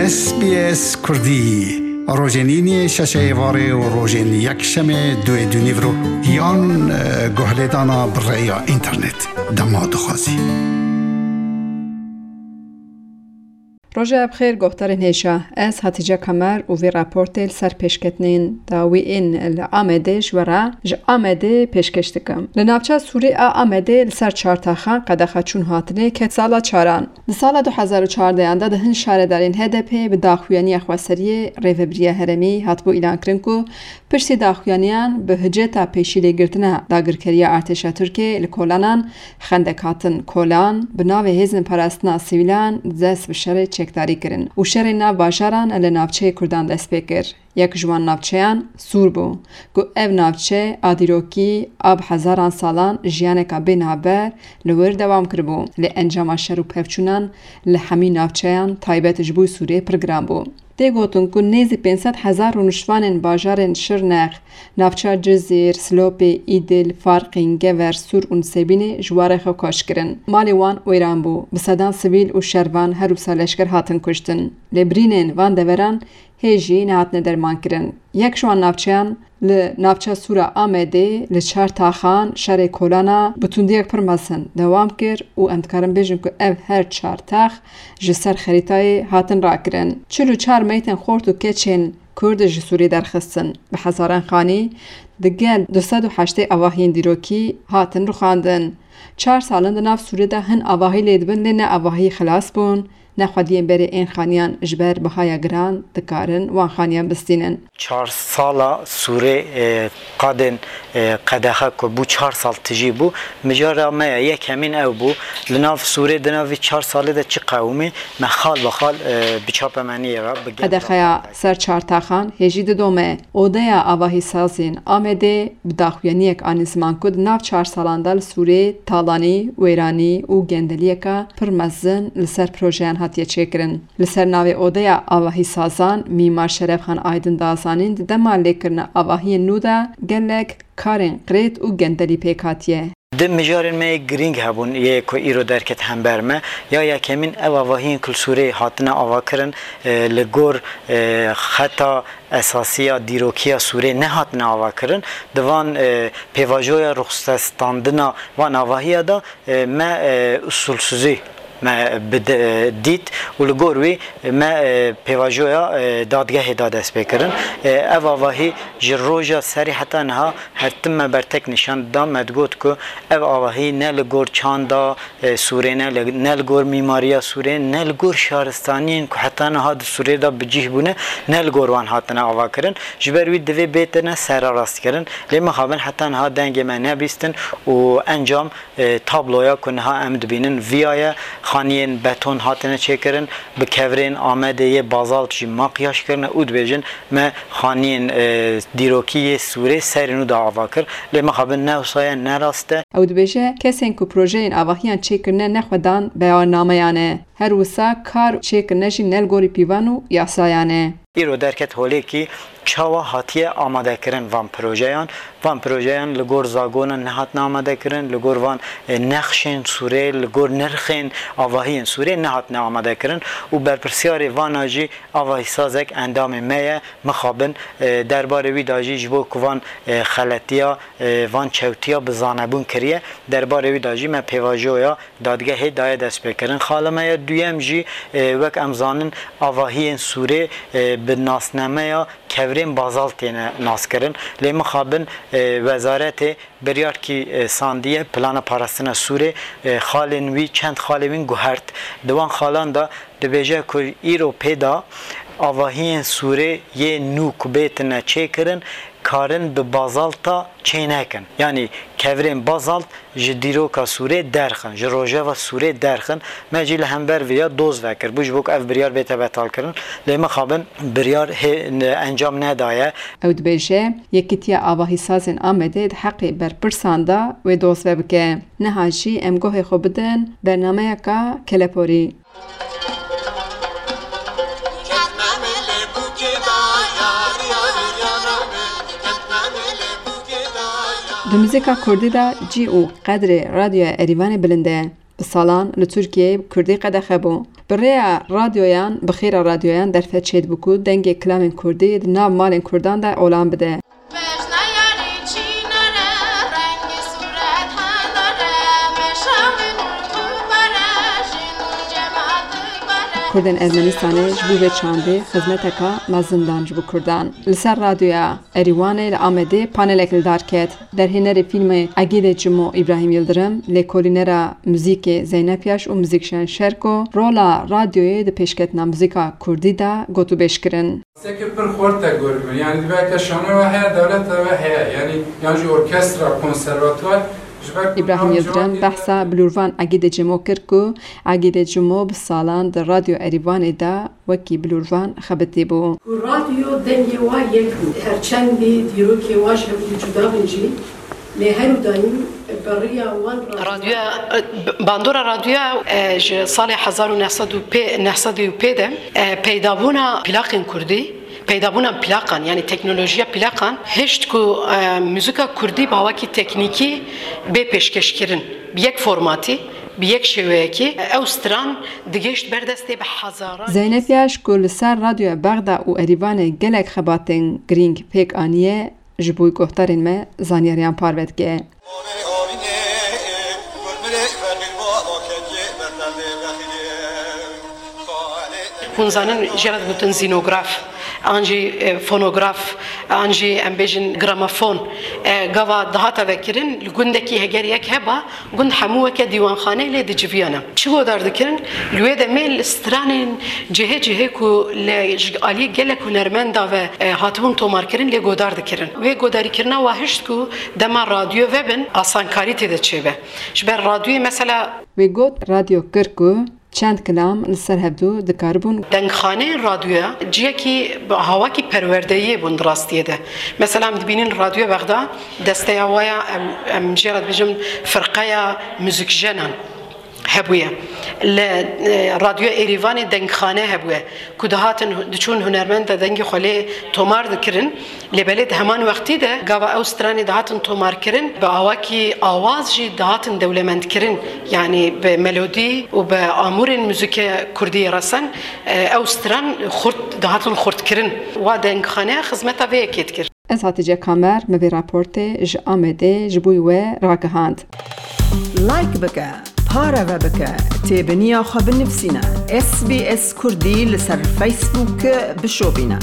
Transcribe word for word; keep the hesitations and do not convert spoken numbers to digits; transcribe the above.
S B S Kurdî, rojên îniyê şeşê êvarê û rojên yekşemê duê dûnîvro yan, e, guhlêdana bi rêya înternet. Dema dixwazî. Roja bi xêr, guhdarên hêja. Ez Hatice Kamer û vê raportê li ser pêşketinên dawî ên li Amedê ji we re ji Amedê pêşkêş dikim. Li navça Sûrê a Amedê li ser çar taxan qedexa çûn hatinê ket sala çaran. Di sala du hezar û çardehan de di hin şaredarên H D P bi daxuyaniya xweseriyê Rêvebiriya Herêmî hatibû îlankirin ku piştî daxuyaniyan bi hiceta pêşîlêgirtina dagirkeriya artêşa Tirkiyê li kolanan xendek hatin kolan, bi navê hêzên parastina sivîlan dest bi şerê çekdarî kirin û şerê nav bajaran li navçeyê Kurdan dest pê kir. Yek ji wan navçeyan Sûr bû, ku ev navçe a dîrokî a bi hezaran salan jiyaneka bê navber li wir dewam kiribû, lê encama şer û pevçûnan li hemî navçeyan taybet ji bo Sûrê pir giran bû. Tê gotin ku nêzî pênc sed hezar rûniştvanên bajarên Şirnex, navça Cizîr, Silopê, Îdil, Farqîn, Gever, Sûr û Nisêbînê ji warê xwe koç kirin. Malê wan wêran bû. Bi sedan sivîl û şervan her wisa leşker hatin kuştin. Lê birînên van deveran hê jî nehatine dermankirin. Yek ji wan navçeyan li navça Sûra Amedê li çar taxan şerê kolana bi tundiyek pir mezin dewam kir û em dikarin bêjin ku ev her çar tax ji ser xerîtayê hatin rakirin. Çil û çar meytên xort û keçên Kurd ji Sûrî derxistin. Bi hezaran xanî di gel du sed û heştê avahiyên dîrokî hatin rûxandin. Çar salin di nav Sûrê de hin avahî lê dibin, lê ne avahî xilas bûn, ne xwediyên berê ên xaniyan ji ber bihaya giran dikarin wan xaniyan bistînin. Çar sala Sûrê, e, qadên, e, qedexe ku bû çar sal tijî bû, mijara me ye yekemîn ew bû. Li nav Sûrê di nav vî çar salê de çi qewimî me xal bi xal, e, bi çapemeniyê re, bi gel re. Qedexeya ser çar taxan hê jî didome. Odeya Avahîsazên Amedê bi daxuyaniyek anî ziman ku di nav çar salan de li Sûrê talanî, wêranî û gendeliyeka pir mezin li ser projeyan hatiye çêkirin. Li ser navê Odeya Avahîsazan Mîmar Şerefxan Aydin da zanîn, di dema lêkirina avahiyên nû de gelek karên qirêt û gendelî pêk hatiye. Di mijarên me yê girîng hebûn yê ku îro derket hember me. Ya yekemîn ev avahiyên ku li Sûrê hatine avakirin, e, li gor, e, xeta esasî ya dîrokiya Sûrê nehatine avakirin. Di van, e, pêvajoya ruxsestandina van avahiya de, e, me, e, usulsuzî me bi de-, dît û li gor wî me, e, pêvajoya, e, dadgehê da destpêkirin. E, ev avahî ji roja serî heta niha her tim me bertek nîşan dida, me digot ku ev avahî ne li gor çanda, e, Sûrê, ne li, ne li gor mîmariya Sûrê, ne li gor şaristaniyên ku heta niha di Sûrê de bi cih bûne, ne li gor wan hatine avakirin. Ji ber wî divê bêtine sererastkirin. Lê mixabin heta niha dengê me nebîstin û encam, e, tabloya ku niha em dibînin viya ye. Xaniyên beton hatine çêkirin, bi kevirên Amedê yê bazalt jî makyaj kirine û dibêjin, me xaniyên, e, dîrokî yê Sûrê serê nû de ava kir. Lê mixabin ne wisa ye, ne rast e. Ew dibêje, kesên ku projeyên avahiyan çêkirine ne xwedan beyannameyan e. Her wisa kar çêkirine jî ne li gorî pîvan û yasayan e. Îro derket holê kî çawa hatiye amadekirin van projeyan. Van projeyan li gor zagonan nehatine amadekirin, li gor van, e, nexşên Sûrê, li gor nirxên avahiyên Sûrê nehatine amadekirin û berpirsyarê vana jî avahîsazek endamê me ye, mixabin, e, derbarê wî de jî ji bo ku van, e, xeletiya, e, van çewtiya bi zanebûn kiriye, derbarê wî de jî me pêvajoya dadgehê daye destpêkirin. Xala me ya duyem jî, e, wek em zanin, avahiyên Sûrê, e, bi nasnameya kevirên bazalt têne naskirin. Lê mixabin, e, wezaretê biryarkî, e, sandiye, plana parastina Sûrê, e, xalên wî, çend xalê wîn guhert. Di wan xalan de dibêje ku îro pê de avahiyên Sûrê yê nû ku bêtine çêkirin, karin bi bazalta çênekin. Yanî kevirên bazalt ji dîroka Sûrê derxin, ji rojeva Sûrê derxin. Me jî li hember vê ya doz vekir bû, ji bo ku ev biryar bête betalkirin. Lê mixabin biryar hê-, encam nedaye. Ew dibêje, Yekîtiya Avahîsazên Amedê di heqê berpirsan de wê doz vebike. Niha jî em guhê xwe bidin bernameyeka keleporî. Di muzîka kurdî de cî û qedrê Radyoya Erîvanê bilind e. Bi salan li Tirkiyeyê bi kurdî qedexe bû. Bi rêya radyoyan, bi xêra radyoyan derfet çêdibû ku dengê kilamên kurdî di nav malên kurdan de olan bide. Kurdên Ermenistanê ji bo vê çandê xizmeteka mezin dan ji bo kurdan. Li ser radyoya Erîwanê li Amedê panelek li dar ket. Derhênerê fîlmê Egîdê Cimo Îbrahîm Yildirim, lêkolînera muzîkê Zeynep Yaş û muzîkjen Şerko rola radyoyê di pêşketina muzîka kurdî de gotûbêj kirin. Seke pir xurt e gor bû. Yanî divê ke şanoya we heye, dewleta we heye. Yanî yan jî orkestra, konservatuar ji ber ku Îbrahîm Yildirim behsa bilûrvan Egîdê Cimo kir ku Egîdê Cimo bi salan di Radyo Erîvanê de wekî bilûrvan xebitî bû. Ku radyo dengê wa yek bû. Her çendî dîrokê wa ji hevdû cuda bin jî, lê her û dayîm bi riya wan radyo. Radyoya, e, bandora radyoya, e, ji salê hezar û neh sed û pê, neh sed û pê de, e, peydabûna plaqên kurdî, peydabûna plaqan, yanî teknolojiya plaqan, hişt ku, e, muzîka kurdî bi awakî teknîkî bê pêşkêşkirin. Bi yek formatî, bi yek şêweyekî, ew stran digihişt ber destê bi hezaran. Zeynep Yaş ku li ser Radyoya Bexda û Erîvanê gelek xebatên girîng pêk aniye, ji bo guhdarên me zanyariyan parve dike. Hûn zanin, jê re digotin zînograf, an jî, e, fonograf, an jî em bêjin gramofon. E, gava dihata vekirin, li gundekî heger yek heba, gund hemû weke dîwanxaneyê lê diciviyane. Çi godar dikirin? Li wê demê li stranên cihê cihê ku li, ji aliyê gelek hunermenda ve, e, hatibûn tomarkirin lê godar dikirin. Wê godarîkirina wa hişt ku dema radyo vebin, asankarî tê de çêbe. Ji ber radyoyê mesela. Wê got, radyo kir ku çend kilam li ser hevdû dikaribûn. Dengxaneyên radyoya ciyekî bi hawakî perwerdeyiyê bûn di rastiyê de. Mesela em dibînin Radyo Bexda, desteya wa ya em, em jê re dibêjim firqeya muzîkjenan hebûye. Li, e, Radyo Êrîvanê dengxane hebûye ku dihatin, diçûn hunermenda dengê xwe lê tomar dikirin. Lê belê di heman wextî de gava ew stranê dihatin tomarkirin, bi awakî awaz jî dihatin dewlemendkirin. Yanî bi melodî û bi amûrên muzîkê kurdî resen, e, ew stran xurt, dihatin xurtkirin. Wa dengxaneya xizmeta vê yekê dikir. Ez Hatice Kamer, me vê raportê ji Amedê ji bo we ragihand. Like bike, pareve bike, têbiniya xwe binivîsîne. S B S Kurdî li ser Facebook bişopîne.